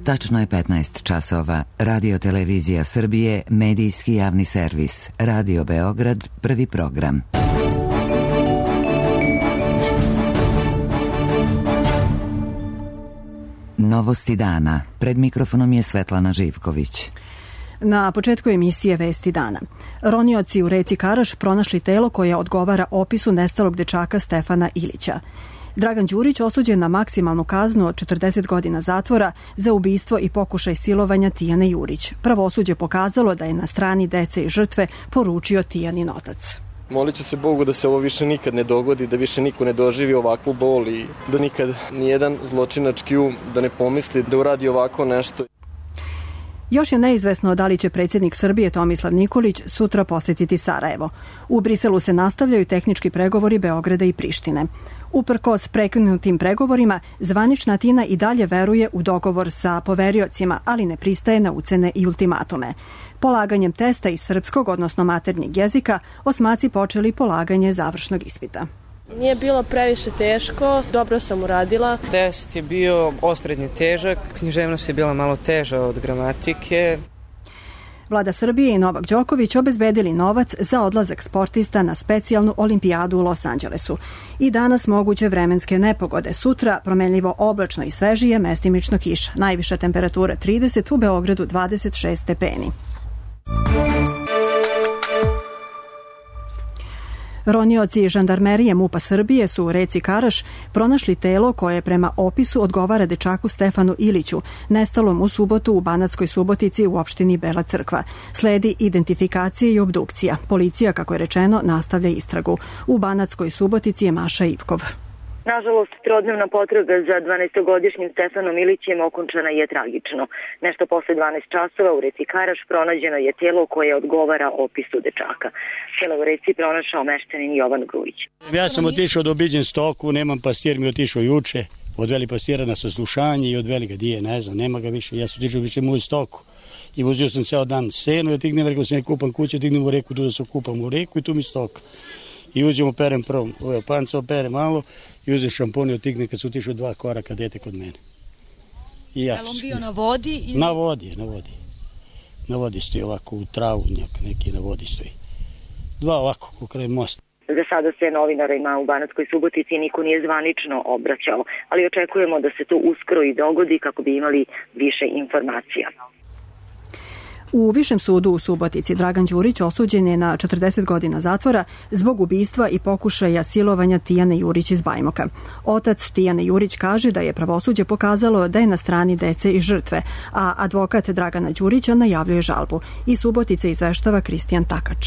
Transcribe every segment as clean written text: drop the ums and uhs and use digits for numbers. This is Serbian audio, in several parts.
Tačno je 15 časova. Radio Televizija Srbije, medijski javni servis. Radio Beograd, prvi program. Novosti dana. Pred mikrofonom je Svetlana Živković. Na početku emisije Vesti dana. Ronioci u reci Karaš pronašli telo koje odgovara opisu nestalog dečaka Stefana Ilića. Dragan Đurić osuđen na maksimalnu kaznu od 40 godina zatvora za ubistvo i pokušaj silovanja Tijane Jurić. Pravosuđe pokazalo da je na strani dece i žrtve, poručio Tijanin otac. Molit ću se Bogu da se ovo više nikad ne dogodi, da više niko ne doživi ovakvu bol i da nikad nijedan zločinački da ne pomisli da uradi ovako nešto. Još je neizvesno da li će predsjednik Srbije Tomislav Nikolić sutra posjetiti Sarajevo. U Briselu se nastavljaju tehnički pregovori Beograda i Prištine. Uprkos prekinutim pregovorima, zvanična Atina i dalje veruje u dogovor sa poveriocima, ali ne pristaje na ucene i ultimatume. Polaganjem testa iz srpskog, odnosno maternjeg jezika, osmaci počeli polaganje završnog ispita. Nije bilo previše teško, dobro sam uradila. Test je bio osrednje težak, književnost je bila malo teža od gramatike. Vlada Srbije i Novak Đoković obezbedili novac za odlazak sportista na specijalnu olimpijadu u Los Angelesu. I danas moguće vremenske nepogode. Sutra promenljivo oblačno i svežije, mestimično kiša. Najviša temperatura 30, u Beogradu 26 stepeni. Ronioci žandarmerije MUP-a Srbije su u reci Karaš pronašli telo koje prema opisu odgovara dečaku Stefanu Iliću, nestalom u subotu u Banatskoj Subotici u opštini Bela Crkva. Sledi identifikacija i obdukcija. Policija, kako je rečeno, nastavlja istragu. U Banatskoj Subotici je Maša Ivkov. Nažalost, trodnevna potraga za 12-godišnjim Stefanom Ilićem okončana je tragično. Nešto posle 12 časova u reci Karaš pronađeno je tijelo koje odgovara opisu dečaka. Tijelo u reci pronašao meštanin Jovan Grujić. Ja sam otišao da obiđem stoku, nemam pastir, mi otišao juče. Odveli pastira na saslušanje i odveli ga dije, ne znam, nema ga više. Ja sam otišao više moju stoku i vozio sam ceo dan senu i otignem, rekao sam, kupam kuće, otignem u reku, tu da se kupam u reku i tu mi stoka. I uzim operem prvom, panca opere malo i uzem šampon i otigne kad su otišao 2 koraka dete kod mene. I ja. Je li on bio na vodi? Ili... Na vodi. Na vodi stoji ovako u travu, neki na vodi stoji. 2 ovako, kraj mosta. Za sada se novinarima u Banatskoj Subotici niko nije zvanično obraćao, ali očekujemo da se to uskoro i dogodi kako bi imali više informacija. U Višem sudu u Subotici Dragan Đurić osuđen je na 40 godina zatvora zbog ubistva i pokušaja silovanja Tijane Jurić iz Bajmoka. Otac Tijane Jurić kaže da je pravosuđe pokazalo da je na strani dece i žrtve, a advokat Dragana Đurića najavljuje žalbu. Iz Subotice izveštava Kristijan Takač.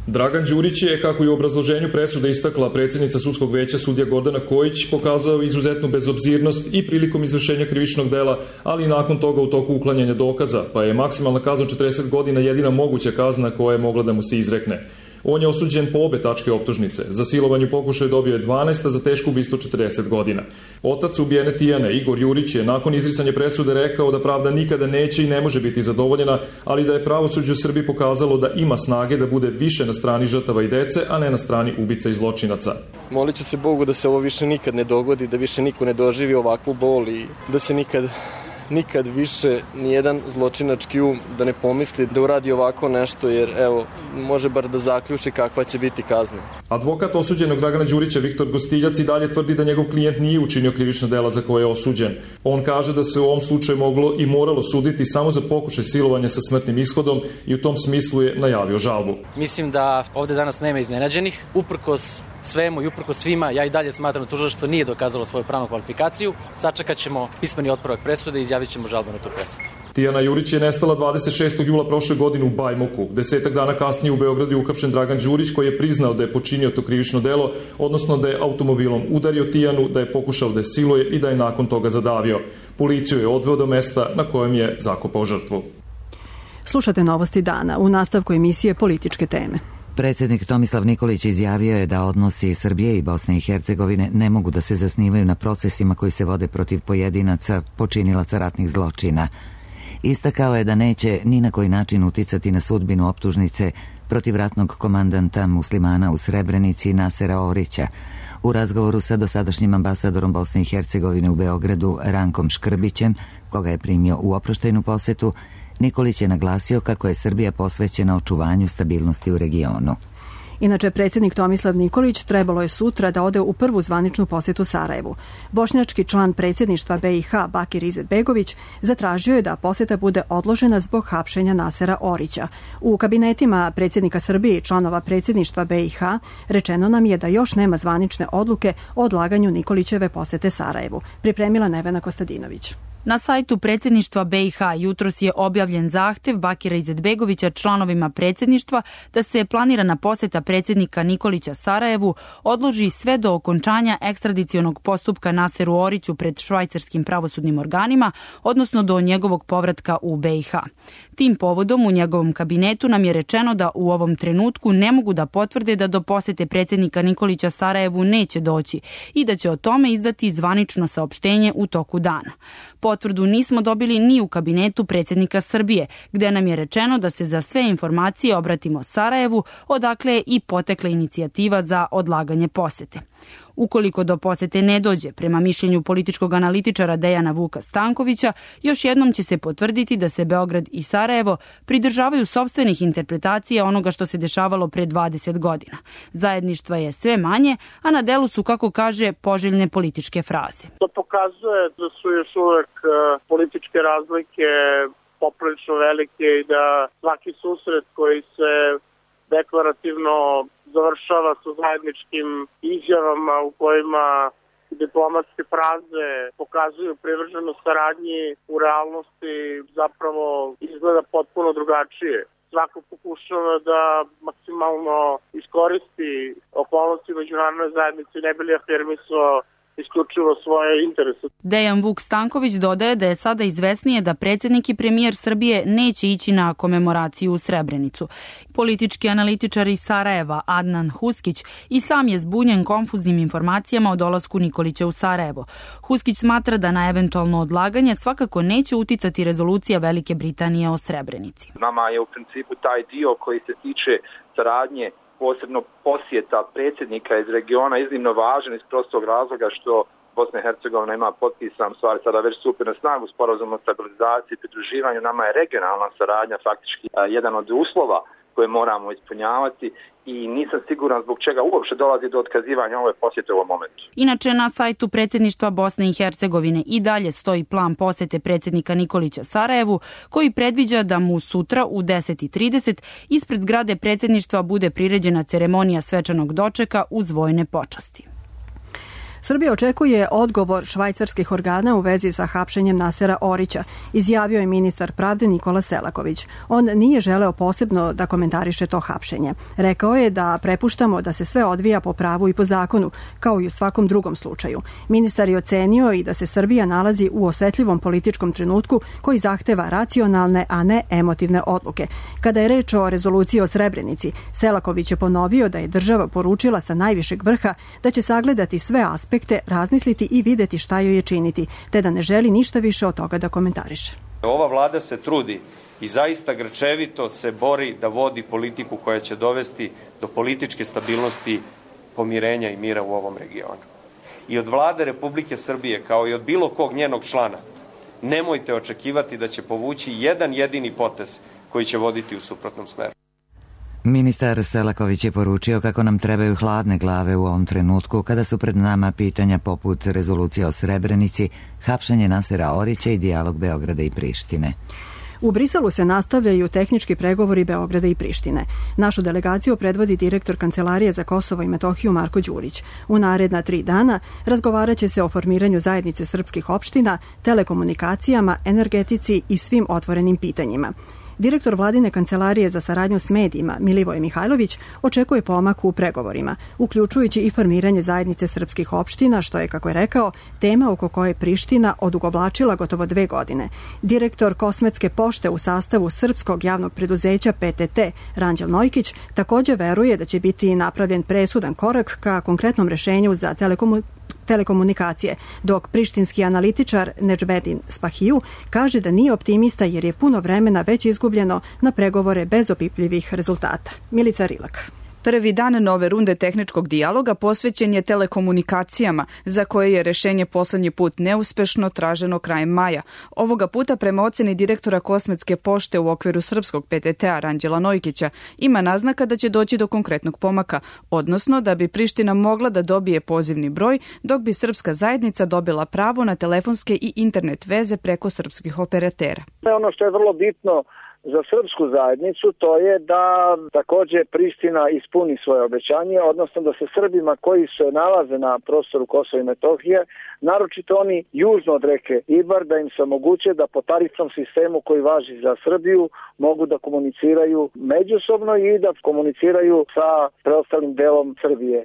Dragan Đurić je, kako i u obrazloženju presude istakla predsjednica sudskog veća sudija Gordana Kojić, pokazao izuzetnu bezobzirnost i prilikom izvršenja krivičnog dela, ali i nakon toga u toku uklanjanja dokaza, pa je maksimalna kazna 40 godina jedina moguća kazna koja je mogla da mu se izrekne. On je osuđen po obe tačke optužnice. Za silovanje pokušaja dobio je 12, a za teško ubistvo 40 godina. Otac ubijene Tijane, Igor Jurić, je nakon izricanja presude rekao da pravda nikada neće i ne može biti zadovoljena, ali da je pravosuđe u Srbiji pokazalo da ima snage da bude više na strani žrtava i dece, a ne na strani ubica i zločinaca. Molit ću se Bogu da se ovo više nikad ne dogodi, da više niko ne doživi ovakvu bol i da se nikad više nijedan zločinački da ne pomisli da uradi ovako nešto, jer evo, može bar da zaključi kakva će biti kazna. Advokat osuđenog Dragana Đurića Viktor Gostiljac i dalje tvrdi da njegov klijent nije učinio krivično dela za koje je osuđen. On kaže da se u ovom slučaju moglo i moralo suditi samo za pokušaj silovanja sa smrtnim ishodom i u tom smislu je najavio žalbu. Mislim da ovde danas nema iznenađenih. Uprkos svemu i uprkos svima, ja i dalje smatram da tužilaštvo nije dokazalo svoju pravnu kvalifikaciju. Sačekat ćemo pismeni otpravak presude i izjavit ćemo žalbu na tu presudu. Tijana Jurić je nestala 26. jula prošle godine u Bajmoku. 10 dana kasnije u Beogradu je uhapšen Dragan Đurić, koji je priznao da je počinio to krivično delo, odnosno da je automobilom udario Tijanu, da je pokušao da je siluje i da je nakon toga zadavio. Policiju je odveo do mesta na kojem je zakopao žrtvu. Slušate Novosti dana, u nastavku emisije Političke teme. Predsjednik Tomislav Nikolić izjavio je da odnosi Srbije i Bosne i Hercegovine ne mogu da se zasnivaju na procesima koji se vode protiv pojedinaca, počinilaca ratnih zločina. Istakao je da neće ni na koji način uticati na sudbinu optužnice protiv ratnog komandanta muslimana u Srebrenici Nasera Orića. U razgovoru sa dosadašnjim ambasadorom Bosne i Hercegovine u Beogradu Rankom Škrbićem, koga je primio u oproštajnu posetu, Nikolić je naglasio kako je Srbija posvećena očuvanju stabilnosti u regionu. Inače, predsjednik Tomislav Nikolić trebalo je sutra da ode u prvu zvaničnu posjetu Sarajevu. Bošnjački član predsjedništva BiH Bakir Izetbegović zatražio je da posjeta bude odložena zbog hapšenja Nasera Orića. U kabinetima predsjednika Srbije i članova predsjedništva BiH rečeno nam je da još nema zvanične odluke o odlaganju Nikolićeve posjete Sarajevu. Pripremila Nevena Kostadinović. Na sajtu predsjedništva BiH jutros je objavljen zahtev Bakira Izetbegovića članovima predsjedništva da se planirana posjeta predsjednika Nikolića Sarajevu odloži sve do okončanja ekstradicionog postupka Naseru Oriću pred švajcarskim pravosudnim organima, odnosno do njegovog povratka u BiH. Tim povodom u njegovom kabinetu nam je rečeno da u ovom trenutku ne mogu da potvrde da do posjete predsjednika Nikolića Sarajevu neće doći i da će o tome izdati zvanično saopštenje u toku dana. Potvrdu nismo dobili ni u kabinetu predsjednika Srbije, gde nam je rečeno da se za sve informacije obratimo Sarajevu, odakle je i potekla inicijativa za odlaganje posete. Ukoliko do posete ne dođe, prema mišljenju političkog analitičara Dejana Vuka Stankovića, još jednom će se potvrditi da se Beograd i Sarajevo pridržavaju sopstvenih interpretacija onoga što se dešavalo pre 20 godina. Zajedništva je sve manje, a na delu su, kako kaže, poželjne političke fraze. To pokazuje da su još uvek političke razlike poprilično velike i da svaki susret koji se deklarativno završava sa zajedničkim izjavama u kojima diplomatske fraze pokazuju privrženost saradnji, u realnosti zapravo izgleda potpuno drugačije. Svako pokušava da maksimalno iskoristi okolnosti međunarodne zajednice ne bi li afirmisao isključivo svoje interese. Dejan Vuk Stanković dodaje da je sada izvesnije da predsjednik i premijer Srbije neće ići na komemoraciju u Srebrenicu. Politički analitičar iz Sarajeva Adnan Huskić i sam je zbunjen konfuznim informacijama o dolasku Nikolića u Sarajevo. Huskić smatra da na eventualno odlaganje svakako neće uticati rezolucija Velike Britanije o Srebrenici. Nama je u principu taj dio koji se tiče saradnje, posebno posjeta predsjednika iz regiona, iznimno važan iz prostog razloga što Bosna i Hercegovina ima potpisan, stvari sada već stupio na snagu sporazum o stabilizaciji i pridruživanju. Nama je regionalna saradnja faktički jedan od uslova koje moramo ispunjavati i nisam siguran zbog čega uopšte dolazi do otkazivanja ove posjete u ovom momentu. Inače, na sajtu predsjedništva Bosne i Hercegovine i dalje stoji plan posjete predsjednika Nikolića Sarajevu, koji predviđa da mu sutra u 10:30 ispred zgrade predsjedništva bude priređena ceremonija svečanog dočeka uz vojne počasti. Srbija očekuje odgovor švajcarskih organa u vezi sa hapšenjem Nasera Orića, izjavio je ministar pravde Nikola Selaković. On nije želeo posebno da komentariše to hapšenje. Rekao je da prepuštamo da se sve odvija po pravu i po zakonu, kao i u svakom drugom slučaju. Ministar je ocenio i da se Srbija nalazi u osetljivom političkom trenutku koji zahteva racionalne, a ne emotivne odluke. Kada je reč o rezoluciji o Srebrenici, Selaković je ponovio da je država poručila sa najvišeg vrha da će sagledati sve aspekte, razmisliti i videti šta joj je činiti, te da ne želi ništa više od toga da komentariše. Ova vlada se trudi i zaista grčevito se bori da vodi politiku koja će dovesti do političke stabilnosti, pomirenja i mira u ovom regionu. I od vlade Republike Srbije, kao i od bilo kog njenog člana, nemojte očekivati da će povući jedan jedini potez koji će voditi u suprotnom smeru. Ministar Selaković je poručio kako nam trebaju hladne glave u ovom trenutku kada su pred nama pitanja poput rezolucije o Srebrenici, hapšenje Nasera Orića i dijalog Beograda i Prištine. U Briselu se nastavljaju tehnički pregovori Beograda i Prištine. Našu delegaciju predvodi direktor Kancelarije za Kosovo i Metohiju Marko Đurić. U naredna 3 dana razgovarat će se o formiranju zajednice srpskih opština, telekomunikacijama, energetici i svim otvorenim pitanjima. Direktor vladine kancelarije za saradnju s medijima Milivoje Mihajlović očekuje pomak u pregovorima, uključujući i formiranje zajednice srpskih opština, što je, kako je rekao, tema oko koje Priština odugovlačila gotovo 2 godine. Direktor Kosmetske pošte u sastavu srpskog javnog preduzeća PTT Ranđel Nojkić također veruje da će biti napravljen presudan korak ka konkretnom rešenju za telekomunikacije, dok prištinski analitičar Nedžbedin Spahiju kaže da nije optimista jer je puno vremena već izgubljeno na pregovore bez opipljivih rezultata. Milica Rilak. Prvi dan nove runde tehničkog dijaloga posvećen je telekomunikacijama, za koje je rešenje poslednji put neuspešno traženo krajem maja. Ovoga puta, prema oceni direktora Kosmetske pošte u okviru srpskog PTT-a Ranđela Nojkića, ima naznaka da će doći do konkretnog pomaka, odnosno da bi Priština mogla da dobije pozivni broj, dok bi srpska zajednica dobila pravo na telefonske i internet veze preko srpskih operatera. Ono što je vrlo bitno za srpsku zajednicu, to je da takođe Priština ispuni svoje obećanje, odnosno da se Srbima koji se nalaze na prostoru Kosova i Metohije, naročito oni južno od reke Ibar, da im se omoguće da po tarifnom sistemu koji važi za Srbiju mogu da komuniciraju međusobno i da komuniciraju sa preostalim delom Srbije.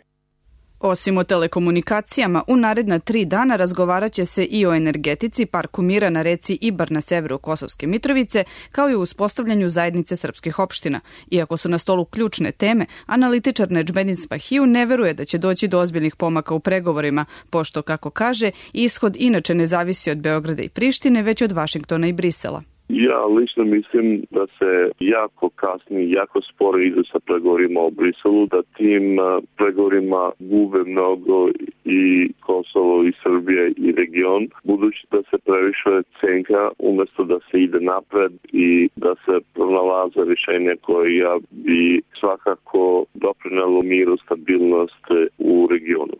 Osim o telekomunikacijama, u naredna 3 dana razgovarat će se i o energetici, parku mira na reci Ibar na severu Kosovske Mitrovice, kao i o uspostavljanju zajednice srpskih opština. Iako su na stolu ključne teme, analitičar Nedžmedin Spahiju ne veruje da će doći do ozbiljnih pomaka u pregovorima, pošto, kako kaže, ishod inače ne zavisi od Beograda i Prištine, već od Vašingtona i Brisela. Ja lično mislim da se jako kasni, jako sporo ide sa pregovorima o Briselu, da tim pregovorima gube mnogo i Kosovo i Srbija i region, budući da se previše cenka umesto da se ide napred i da se pronalaze rješenja koja bi svakako doprinelo miru, stabilnost u regionu.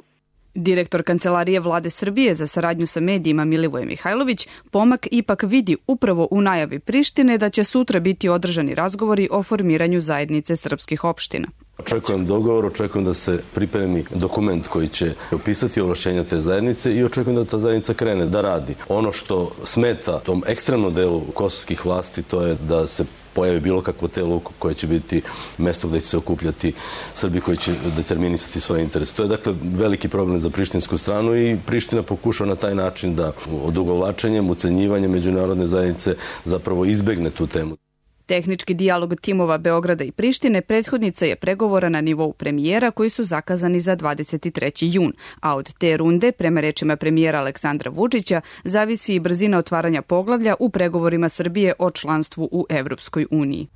Direktor Kancelarije Vlade Srbije za saradnju sa medijima Milivoje Mihajlović pomak ipak vidi upravo u najavi Prištine da će sutra biti održani razgovori o formiranju zajednice srpskih opština. Očekujem dogovor, očekujem da se pripremi dokument koji će opisati ovlašćenja te zajednice i očekujem da ta zajednica krene da radi. Ono što smeta tom ekstremnom delu kosovskih vlasti, to je da se pojavi bilo kakvo telo koje će biti mesto gde će se okupljati Srbi koji će determinisati svoje interese. To je dakle veliki problem za prištinsku stranu i Priština pokušava na taj način da odugovlačenjem, ucenjivanjem međunarodne zajednice zapravo izbegne tu temu. Tehnički dijalog timova Beograda i Prištine prethodnica je pregovora na nivou premijera koji su zakazani za 23. jun, a od te runde, prema rečima premijera Aleksandra Vučića, zavisi i brzina otvaranja poglavlja u pregovorima Srbije o članstvu u Evropskoj uniji.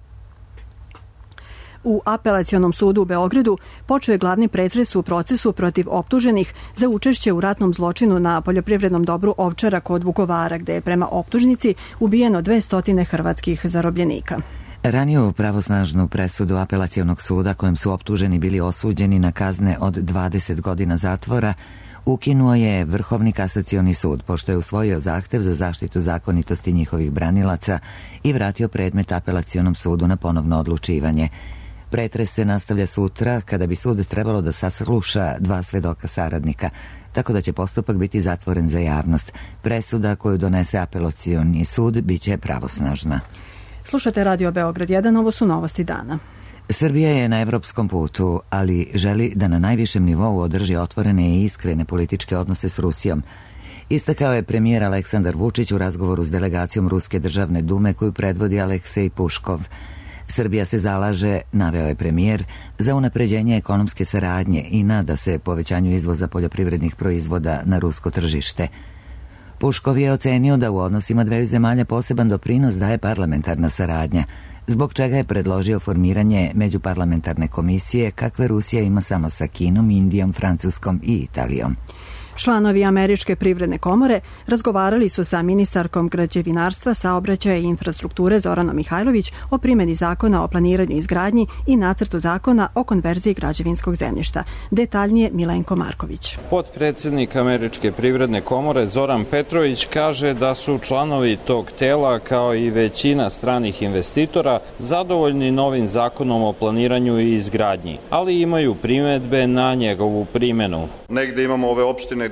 U Apelacionom sudu u Beogradu počeo je glavni pretres u procesu protiv optuženih za učešće u ratnom zločinu na poljoprivrednom dobru Ovčara kod Vukovara, gde je prema optužnici ubijeno 200 hrvatskih zarobljenika. Raniju pravosnažnu presudu Apelacionog suda kojem su optuženi bili osuđeni na kazne od 20 godina zatvora ukinuo je Vrhovni kasacioni sud, pošto je usvojio zahtev za zaštitu zakonitosti njihovih branilaca i vratio predmet Apelacionom sudu na ponovno odlučivanje. Pretres se nastavlja sutra kada bi sud trebalo da sasluša 2 svedoka saradnika, tako da će postupak biti zatvoren za javnost. Presuda koju donese Apelacioni sud biće pravosnažna. Slušate Radio Beograd 1, ovo su novosti dana. Srbija je na evropskom putu, ali želi da na najvišem nivou održi otvorene i iskrene političke odnose s Rusijom. Istakao je premijer Aleksandar Vučić u razgovoru s delegacijom Ruske državne dume koju predvodi Aleksej Puškov. Srbija se zalaže, naveo je premijer, za unapređenje ekonomske saradnje i nada se povećanju izvoza poljoprivrednih proizvoda na rusko tržište. Puškov je ocenio da u odnosima dveju zemalja poseban doprinos daje parlamentarna saradnja, zbog čega je predložio formiranje međuparlamentarne komisije kakve Rusija ima samo sa Kinom, Indijom, Francuskom i Italijom. Članovi Američke privredne komore razgovarali su sa ministarkom građevinarstva, saobraćaja i infrastrukture Zoranom Mihajlović o primjeni zakona o planiranju i izgradnji i nacrtu zakona o konverziji građevinskog zemljišta. Detaljnije Milenko Marković. Potpredsednik Američke privredne komore Zoran Petrović kaže da su članovi tog tela kao i većina stranih investitora zadovoljni novim zakonom o planiranju i izgradnji, ali imaju primedbe na njegovu primjenu. Negde imamo ove opštine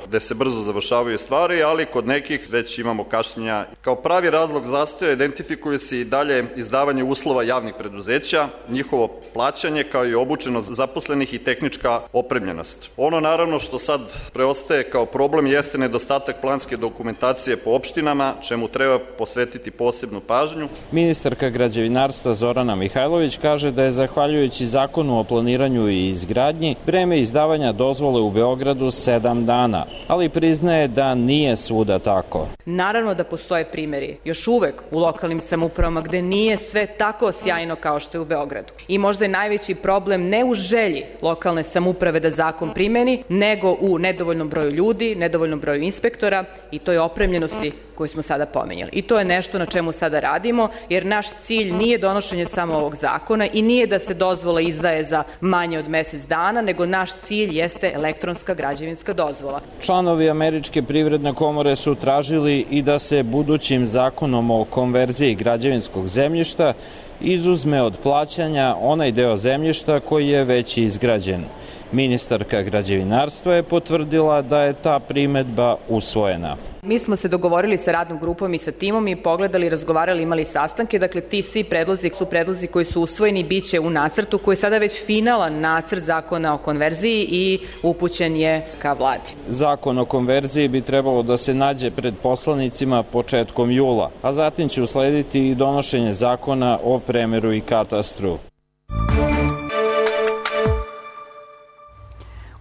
gde se brzo završavaju stvari, ali kod nekih već imamo kašnjenja. Kao pravi razlog zastoja identifikuje se i dalje izdavanje uslova javnih preduzeća, njihovo plaćanje kao i obučenost zaposlenih i tehnička opremljenost. Ono naravno što sad preostaje kao problem jeste nedostatak planske dokumentacije po opštinama, čemu treba posvetiti posebnu pažnju. Ministarka građevinarstva Zorana Mihajlović kaže da je zahvaljujući zakonu o planiranju i izgradnji vreme izdavanja dozvola dozvole u Beogradu 7 dana, ali priznaje da nije svuda tako. Naravno da postoje primjeri još uvek u lokalnim samoupravama gde nije sve tako sjajno kao što je u Beogradu. I možda je najveći problem ne u želji lokalne samouprave da zakon primeni, nego u nedovoljnom broju ljudi, nedovoljnom broju inspektora i toj opremljenosti koju smo sada pomenjali. I to je nešto na čemu sada radimo, jer naš cilj nije donošenje samo ovog zakona i nije da se dozvola izdaje za manje od mesec dana, nego naš cilj jeste elektronska građevinska dozvola. Članovi Američke privredne komore su tražili i da se budućim zakonom o konverziji građevinskog zemljišta izuzme od plaćanja onaj deo zemljišta koji je već izgrađen. Ministarka građevinarstva je potvrdila da je ta primedba usvojena. Mi smo se dogovorili sa radnom grupom i sa timom i pogledali, razgovarali, imali sastanke. Dakle, ti svi predlozi su predlozi koji su usvojeni, bit će u nacrtu koji je sada već finalan nacrt zakona o konverziji i upućen je ka vladi. Zakon o konverziji bi trebalo da se nađe pred poslanicima početkom jula, a zatim će uslediti i donošenje zakona o premeru i katastru.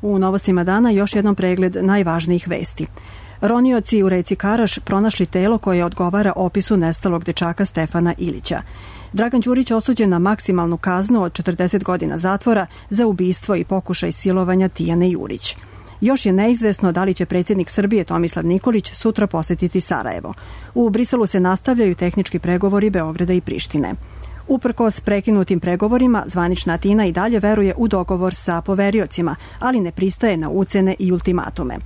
U novostima dana još jednom pregled najvažnijih vesti. Ronioci u reci Karaš pronašli telo koje odgovara opisu nestalog dečaka Stefana Ilića. Dragan Đurić osuđen na maksimalnu kaznu od 40 godina zatvora za ubistvo i pokušaj silovanja Tijane Jurić. Još je neizvesno da li će predsjednik Srbije Tomislav Nikolić sutra posetiti Sarajevo. U Briselu se nastavljaju tehnički pregovori Beograda i Prištine. Uprkos prekinutim pregovorima, zvanična Atina i dalje veruje u dogovor sa poveriocima, ali ne pristaje na ucene i ultimatume.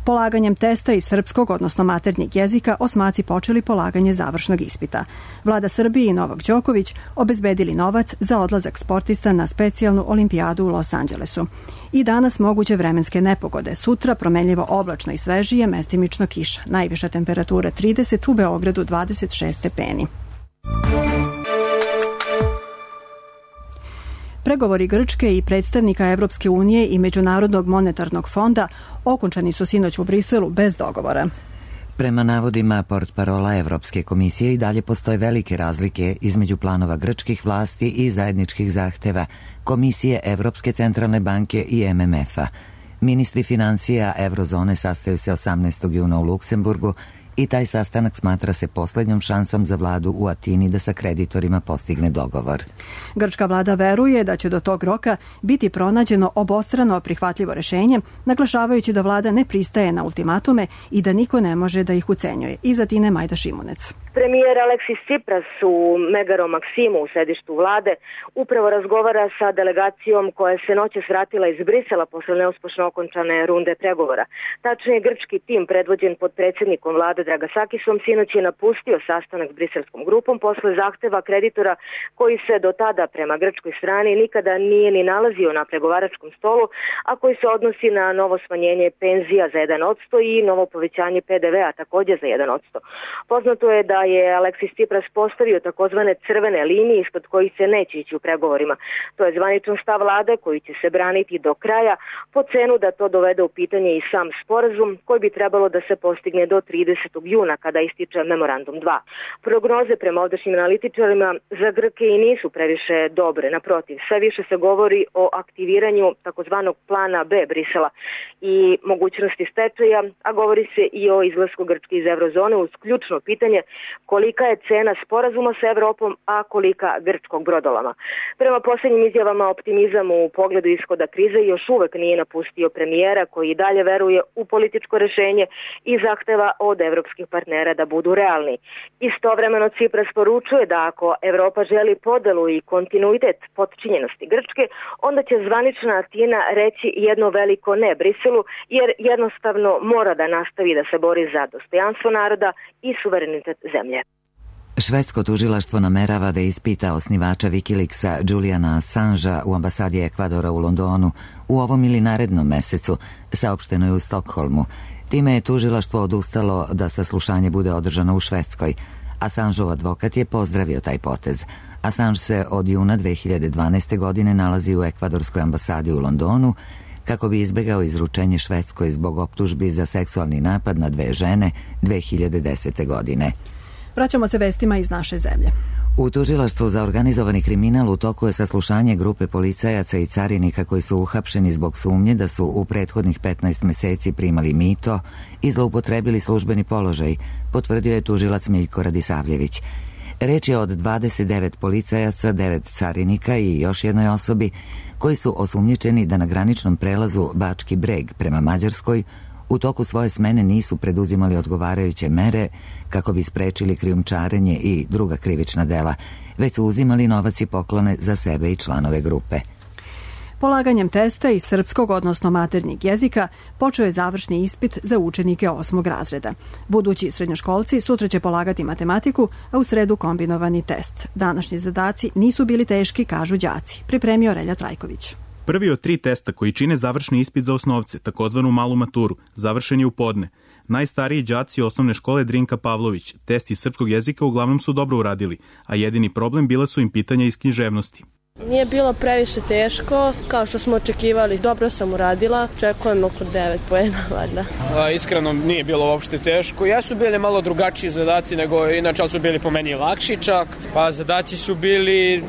Polaganjem testa iz srpskog, odnosno maternjeg jezika, osmaci počeli polaganje završnog ispita. Vlada Srbije i Novak Đoković obezbedili novac za odlazak sportista na specijalnu olimpijadu u Los Angelesu. I danas moguće vremenske nepogode. Sutra promenljivo oblačno i svežije, mestimično kiša. Najviša temperatura 30, u Beogradu 26 stepeni. Pregovori Grčke i predstavnika Evropske unije i Međunarodnog monetarnog fonda okončani su sinoć u Briselu bez dogovora. Prema navodima portparola Evropske komisije i dalje postoje velike razlike između planova grčkih vlasti i zajedničkih zahteva Komisije Evropske centralne banke i MMF-a. Ministri financija Eurozone sastaju se 18. juna u Luksemburgu i taj sastanak smatra se poslednjom šansom za vladu u Atini da sa kreditorima postigne dogovor. Grčka vlada veruje da će do tog roka biti pronađeno obostrano prihvatljivo rešenje, naglašavajući da vlada ne pristaje na ultimatume i da niko ne može da ih ucenjuje. Iz Atine Majda Šimunec. Premijer Aleksis Tsipras u Megaro Maksimu u sedištu vlade upravo razgovara sa delegacijom koja se noćas vratila iz Brisela posle neuspešno okončane runde pregovora. Tačnije, grčki tim predvođen pod predsjednikom vlade Dragasakisom sinoć je napustio sastanak s briselskom grupom posle zahteva kreditora koji se do tada prema grčkoj strani nikada nije ni nalazio na pregovaračkom stolu, a koji se odnosi na novo smanjenje penzija za 1% i novo povećanje PDV-a također za 1%. Poznato je da je Aleksis Tsipras postavio takozvane crvene linije ispod kojih se neće ići u pregovorima. To je zvaničan stav vlade koji će se braniti do kraja po cenu da to dovede u pitanje i sam sporazum koji bi trebalo da se postigne do 30. juna kada ističe memorandum 2. Prognoze prema ovdašnjim analitičarima za Grke i nisu previše dobre, naprotiv. Sve više se govori o aktiviranju takozvanog plana B Brisela i mogućnosti stečaja, a govori se i o izlasku Grčke iz eurozone uz ključno pitanje kolika je cena sporazuma sa Evropom, a kolika grčkog brodolama. Prema posljednjim izjavama optimizam u pogledu ishoda krize još uvek nije napustio premijera koji i dalje veruje u političko rešenje i zahteva od evropskih partnera da budu realni. Istovremeno Tsipras poručuje da ako Evropa želi podelu i kontinuitet potčinjenosti Grčke, onda će zvanična Atina reći jedno veliko ne Briselu, jer jednostavno mora da nastavi da se bori za dostojanstvo naroda i suverenitet zemlje. Švedsko tužilaštvo namerava da ispita osnivača Wikileaksa Juliana Assangea u ambasadi Ekvadora u Londonu u ovom ili narednom mesecu, saopšteno je u Stokholmu. Time je tužilaštvo odustalo da saslušanje bude održano u Švedskoj. Assangeov advokat je pozdravio taj potez. Assange se od juna 2012. godine nalazi u ekvadorskoj ambasadi u Londonu kako bi izbegao izručenje Švedskoj zbog optužbi za seksualni napad na 2 žene 2010. godine. Vraćamo se vestima iz naše zemlje. U tužilaštvu za organizovani kriminal u toku je saslušanje grupe policajaca i carinika koji su uhapšeni zbog sumnje da su u prethodnih 15 meseci primali mito i zloupotrebili službeni položaj, potvrdio je tužilac Miljko Radisavljević. Reč je od 29 policajaca, 9 carinika i još jednoj osobi koji su osumnjičeni da na graničnom prelazu Bački Breg prema Mađarskoj u toku svoje smene nisu preduzimali odgovarajuće mere kako bi sprečili krijumčarenje i druga krivična dela, već su uzimali novac i poklone za sebe i članove grupe. Polaganjem testa iz srpskog, odnosno maternjeg jezika, počeo je završni ispit za učenike 8. razreda. Budući srednjoškolci sutra će polagati matematiku, a u sredu kombinovani test. Današnji zadaci nisu bili teški, kažu đaci. Pripremio Relja Trajković. Prvi od 3 testa koji čine završni ispit za osnovce, takozvanu malu maturu, završen je u podne. Najstariji đaci osnovne škole Drinka Pavlović test iz srpskog jezika uglavnom su dobro uradili, a jedini problem bila su im pitanja iz književnosti. Nije bilo previše teško, kao što smo očekivali. Dobro sam uradila, očekujem oko 9 poena, valjda. Iskreno nije bilo uopšte teško. Jesu bili malo drugačiji zadaci nego inače, su bili po meni lakši čak. Pa zadaci su bili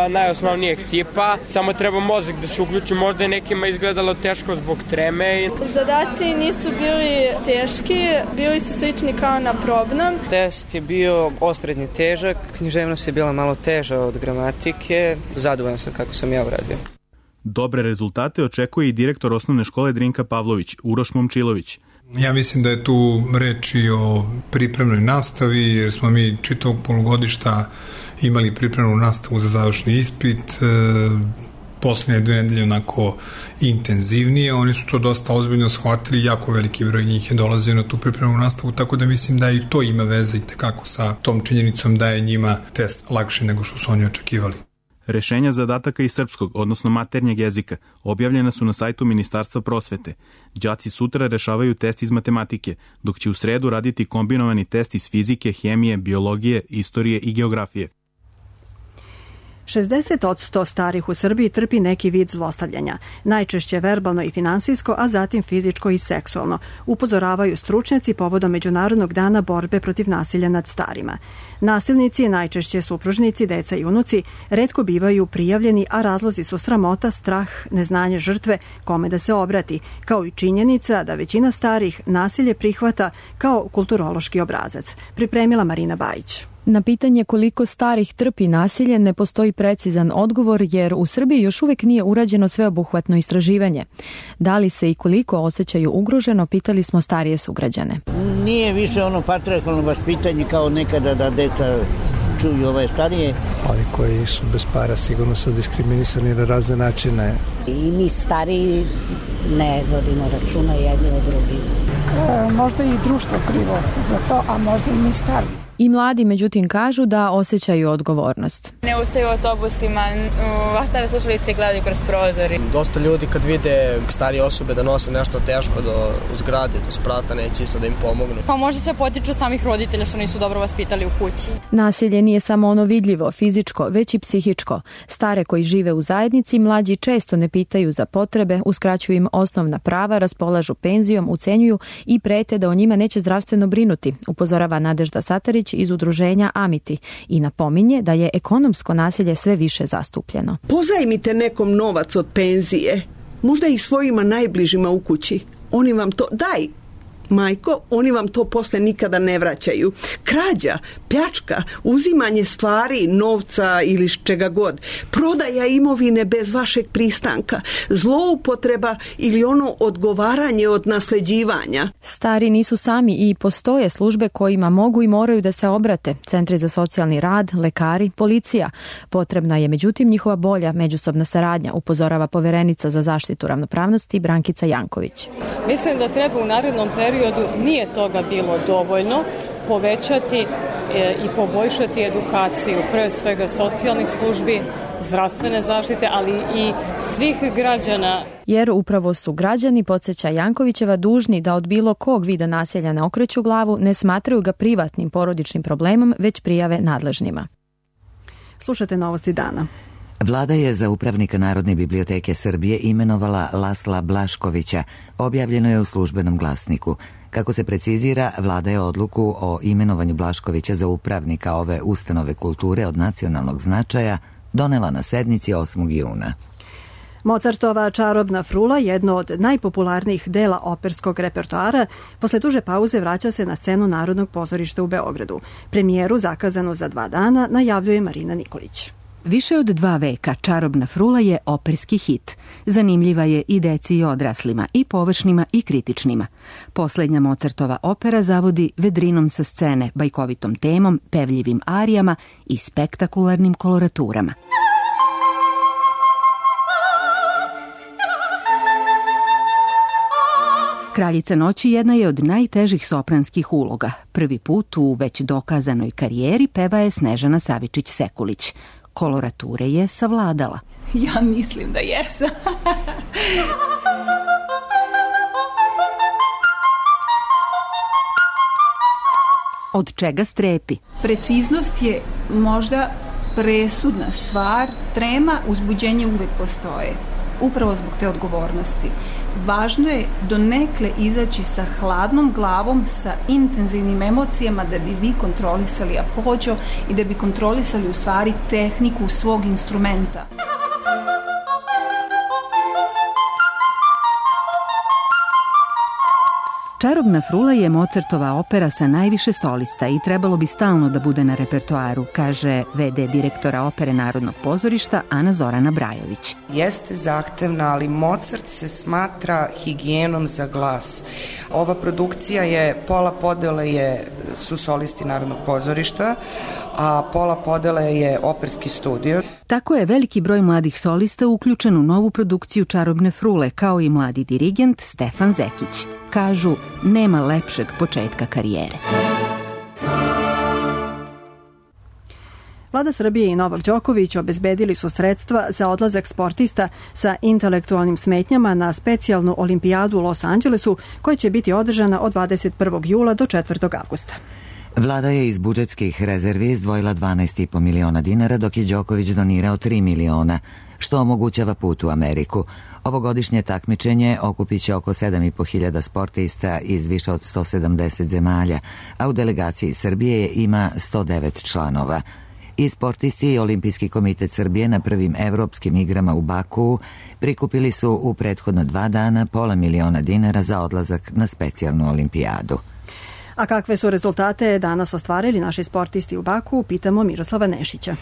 najosnovnijeg tipa, samo treba mozak da se uključi. Možda je nekima izgledalo teško zbog treme. Zadaci nisu bili teški, bili su slični kao na probnom. Test je bio osrednji težak, književnost je bila malo teža od gramatike. Zadovoljan sam kako sam ja uradio. Dobre rezultate očekuje i direktor osnovne škole Drinka Pavlović, Uroš Momčilović. Ja mislim da je tu reč i o pripremnoj nastavi, jer smo mi čitavog polugodišta imali pripremnu nastavu za završni ispit, poslednje 2 nedelje onako intenzivnije. Oni su to dosta ozbiljno shvatili, jako veliki broj njih je dolazio na tu pripremnu nastavu, tako da mislim da i to ima veze i tekako sa tom činjenicom da je njima test lakši nego što su oni očekivali. Rešenja zadataka iz srpskog, odnosno maternjeg jezika, objavljena su na sajtu Ministarstva prosvete. Đaci sutra rešavaju test iz matematike, dok će u sredu raditi kombinovani test iz fizike, hemije, biologije, istorije i geografije. 60% starih u Srbiji trpi neki vid zlostavljanja, najčešće verbalno i finansijsko, a zatim fizičko i seksualno, upozoravaju stručnjaci povodom Međunarodnog dana borbe protiv nasilja nad starima. Nasilnici, najčešće supružnici, deca i unuci, retko bivaju prijavljeni, a razlozi su sramota, strah, neznanje žrtve, kome da se obrati, kao i činjenica da većina starih nasilje prihvata kao kulturološki obrazac. Pripremila Marina Bajić. Na pitanje koliko starih trpi nasilje ne postoji precizan odgovor, jer u Srbiji još uvijek nije urađeno sveobuhvatno istraživanje. Da li se i koliko osjećaju ugroženo, pitali smo starije sugrađane. Nije više ono patrijarhalno vaspitanje kao nekada da deca čuju ove starije. Oni koji su bez para sigurno su diskriminisani na razne načine. I mi stariji ne vodimo računa jedni od drugih. Možda i društvo krivo za to, a možda i mi stariji. I mladi, međutim, kažu da osjećaju odgovornost. Ne ustaju u autobusima, ostave slušalice i gledaju kroz prozori. Dosta ljudi kad vide starije osobe da nose nešto teško u zgradi, do sprata, neće isto da im pomognu. Pa možda se potiču od samih roditelja što nisu dobro vaspitali u kući. Nasilje nije samo ono vidljivo, fizičko, već i psihičko. Stare koji žive u zajednici, mlađi često ne pitaju za potrebe, uskraćuju im osnovna prava, raspolažu penzijom, ucenjuju i prete da o njima neće zdravstveno brinuti, upozorava Nadežda Satarić iz udruženja Amiti i napominje da je ekonomsko nasilje sve više zastupljeno. Pozajmite nekom novac od penzije, možda i svojima najbližima u kući. Oni vam to, daj majko, oni vam to posle nikada ne vraćaju. Krađa, pljačka, uzimanje stvari, novca ili čega god, prodaja imovine bez vašeg pristanka, zloupotreba ili ono odgovaranje od nasleđivanja. Stari nisu sami i postoje službe kojima mogu i moraju da se obrate. Centri za socijalni rad, lekari, policija. Potrebna je međutim njihova bolja međusobna saradnja, upozorava poverenica za zaštitu ravnopravnosti Brankica Janković. Mislim da treba u narednom periodu, nije toga bilo dovoljno, povećati i poboljšati edukaciju, pre svega socijalnih službi, zdravstvene zaštite, ali i svih građana. Jer upravo su građani, podsjeća Jankovićeva, dužni da od bilo kog vida nasilja ne okreću glavu, ne smatraju ga privatnim porodičnim problemom, već prijave nadležnima. Slušate Novosti dana. Vlada je za upravnika Narodne biblioteke Srbije imenovala Lasla Blaškovića, objavljeno je u Službenom glasniku. Kako se precizira, vlada je odluku o imenovanju Blaškovića za upravnika ove ustanove kulture od nacionalnog značaja donela na sednici 8. juna. Mozartova Čarobna frula, jedno od najpopularnijih dela operskog repertoara, posle duže pauze vraća se na scenu Narodnog pozorišta u Beogradu. Premijeru, zakazanu za 2 dana, najavljuje Marina Nikolić. Više od 2 veka Čarobna frula je operski hit. Zanimljiva je i deci i odraslima, i površnima i kritičnima. Poslednja Mozartova opera zavodi vedrinom sa scene, bajkovitom temom, pevljivim arijama i spektakularnim koloraturama. Kraljica noći jedna je od najtežih sopranskih uloga. Prvi put u već dokazanoj karijeri peva je Snežana Savičić-Sekulić. Kolorature je savladala. Ja mislim da jesam. Od čega strepi? Preciznost je možda presudna stvar. Trema, uzbuđenje uvek postoje. Upravo zbog te odgovornosti. Važno je donekle izaći sa hladnom glavom, sa intenzivnim emocijama da bi vi kontrolisali apođo i da bi kontrolisali u stvari tehniku svog instrumenta. Čarobna frula je Mozartova opera sa najviše solista i trebalo bi stalno da bude na repertoaru, kaže v.d. direktora opere Narodnog pozorišta Ana Zorana Brajović. Jeste zahtevna, ali Mozart se smatra higijenom za glas. Ova produkcija je, pola podele su solisti Narodnog pozorišta, a pola podele je operski studio. Tako je veliki broj mladih solista uključen u novu produkciju Čarobne frule, kao i mladi dirigent Stefan Zekić. Kažu, nema lepšeg početka karijere. Vlada Srbije i Novak Đoković obezbedili su sredstva za odlazak sportista sa intelektualnim smetnjama na specijalnu olimpijadu u Los Angelesu, koja će biti održana od 21. jula do 4. avgusta. Vlada je iz budžetskih rezervi izdvojila 12,5 miliona dinara, dok je Đoković donirao 3 miliona, što omogućava put u Ameriku. Ovogodišnje takmičenje okupiće oko 7.500 sportista iz više od 170 zemalja, a u delegaciji Srbije ima 109 članova. I sportisti i Olimpijski komitet Srbije na prvim evropskim igrama u Bakuu prikupili su u prethodna 2 dana $500.000 dinara za odlazak na specijalnu olimpijadu. A kakve su rezultate danas ostvarili naši sportisti u Bakuu, pitamo Miroslava Nešića.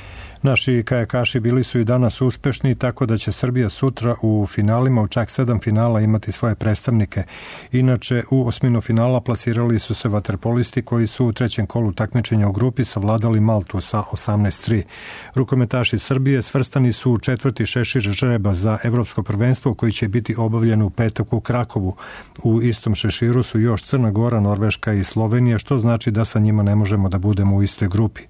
Naši kajakaši bili su i danas uspešni, tako da će Srbija sutra u finalima, u čak 7 finala, imati svoje predstavnike. Inače, u osminu finala plasirali su se vaterpolisti koji su u 3. kolu takmičenja u grupi savladali Maltu sa 18-3. Rukometaši Srbije svrstani su u 4. šešir žreba za evropsko prvenstvo koji će biti obavljeno u petak u Krakovu. U istom šeširu su još Crna Gora, Norveška i Slovenija, što znači da sa njima ne možemo da budemo u istoj grupi.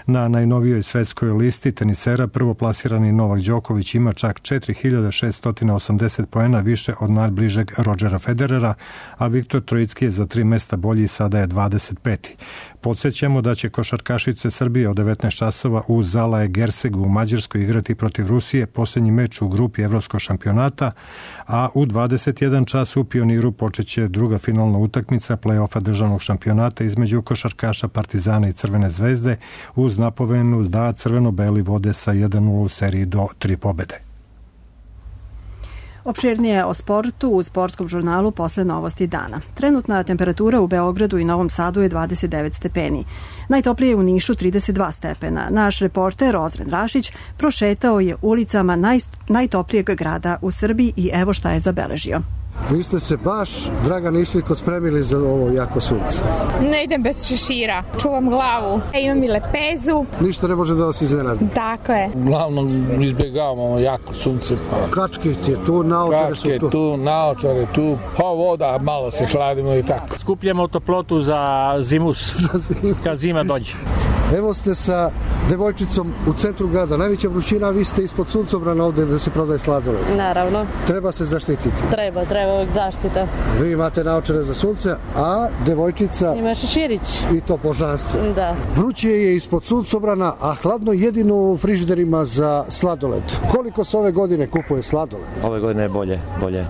Na najnovijoj svetskoj listi tenisera prvoplasirani Novak Đoković ima čak 4.680 poena više od najbližeg Rodgera Federera, a Viktor Trojicki je za 3 mesta bolji i sada je 25. Podsjećamo da će košarkašice Srbije od 19 časova u Zalae Gersegu u Mađarskoj igrati protiv Rusije posljednji meč u grupi evropskog šampionata, a u 21 čas u Pioniru počeće druga finalna utakmica play-offa državnog šampionata između košarkaša Partizana i Crvene zvezde uz napovenu da crveno-beli vode sa 1-0 u seriji do 3 pobede. Opširnije o sportu u sportskom žurnalu posle novosti dana. Trenutna temperatura u Beogradu i Novom Sadu je 29 stepeni. Najtoplije u Nišu 32 stepena. Naš reporter Ozren Rašić prošetao je ulicama najtoplijeg grada u Srbiji i evo šta je zabeležio. Vi ste se baš, Dragan, išliko spremili za ovo jako sunce. Ne idem bez šešira, čuvam glavu, imam i lepezu. Ništa ne može da vas iznenadi. Tako je. Uglavnom izbjegavamo jako sunce. Kačke je tu, naočare su tu. Naočare tu, voda, malo se hladimo i tako. Skupljamo toplotu za zimus, kad zima dođe. Evo ste sa devojčicom u centru grada. Najveća vrućina, vi ste ispod suncobrana ovde da se prodaje sladoled. Naravno. Treba se zaštititi. Treba uvijek zaštita. Vi imate naočare za sunce, a devojčica... Ima šeširić. I to božanstvo. Da. Vruće je ispod suncobrana, a hladno jedino u frižiderima za sladoled. Koliko se ove godine kupuje sladoled? Ove godine je bolje.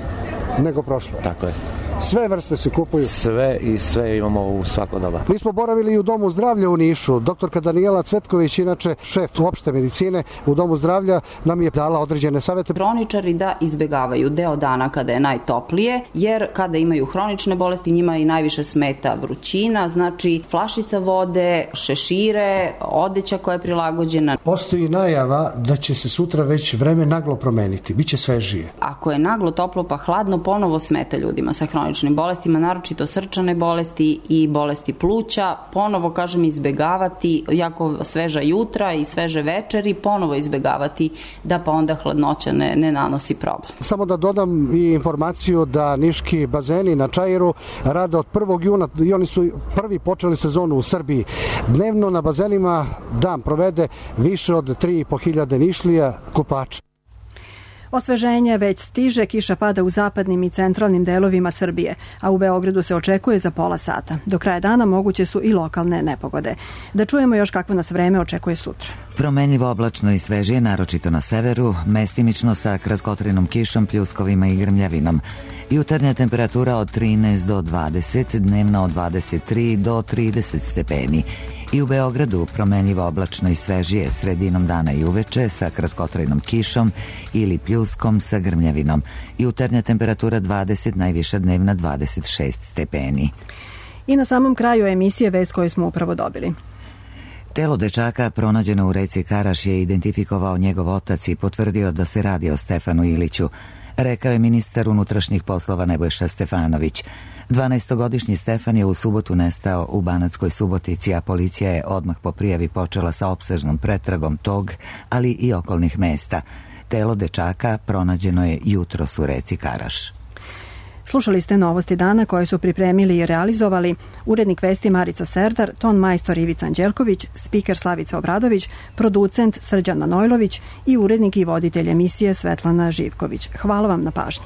Nego prošle. Tako je. Sve vrste se kupuju? Sve i sve imamo u svako doba. Mi smo boravili i u Domu zdravlja u Nišu. Doktorka Danijela Cvetković, inače šef opšte medicine u Domu zdravlja, nam je dala određene savete. Hroničari da izbegavaju deo dana kada je najtoplije, jer kada imaju hronične bolesti njima i najviše smeta vrućina, znači flašica vode, šešire, odeća koja je prilagođena. Postoji najava da će se sutra već vreme naglo promeniti, biće svežije. Ako je naglo toplo pa hladno, ponovo smeta ljudima sa hroničnim bolestima, naročito srčane bolesti i bolesti pluća. Ponovo, kažem, izbegavati jako sveža jutra i sveže večeri, ponovo izbegavati da pa onda hladnoća ne nanosi problem. Samo da dodam i informaciju da niški bazeni na Čairu rade od 1. juna i oni su prvi počeli sezonu u Srbiji. Dnevno na bazenima dan provede više od 3.500 Nišlija kupača. Osveženje već stiže, kiša pada u zapadnim i centralnim delovima Srbije, a u Beogradu se očekuje za pola sata. Do kraja dana moguće su i lokalne nepogode. Da čujemo još kakvo nas vreme očekuje sutra. Promenljivo oblačno i svežije, naročito na severu, mestimično sa kratkotrajnom kišom, pljuskovima i grmljavinom. Jutarnja temperatura od 13 do 20, dnevna od 23 do 30 stepeni. I u Beogradu promenljivo oblačno i svežije sredinom dana i uveče sa kratkotrajnom kišom ili pljuskom sa grmljavinom. Jutarnja temperatura 20, najviša dnevna 26 stepeni. I na samom kraju emisije vest koju smo upravo dobili. Telo dečaka pronađeno u reci Karaš je identifikovao njegov otac i potvrdio da se radi o Stefanu Iliću, rekao je ministar unutrašnjih poslova Nebojša Stefanović. 12-godišnji Stefan je u subotu nestao u Banatskoj Subotici, a policija je odmah po prijavi počela sa opsežnom pretragom tog, ali i okolnih mesta. Telo dečaka pronađeno je jutros u reci Karaš. Slušali ste novosti dana koje su pripremili i realizovali urednik vesti Marica Serdar, ton majstor Ivica Anđelković, spiker Slavica Obradović, producent Srđan Manojlović i urednik i voditelj emisije Svetlana Živković. Hvala vam na pažnji.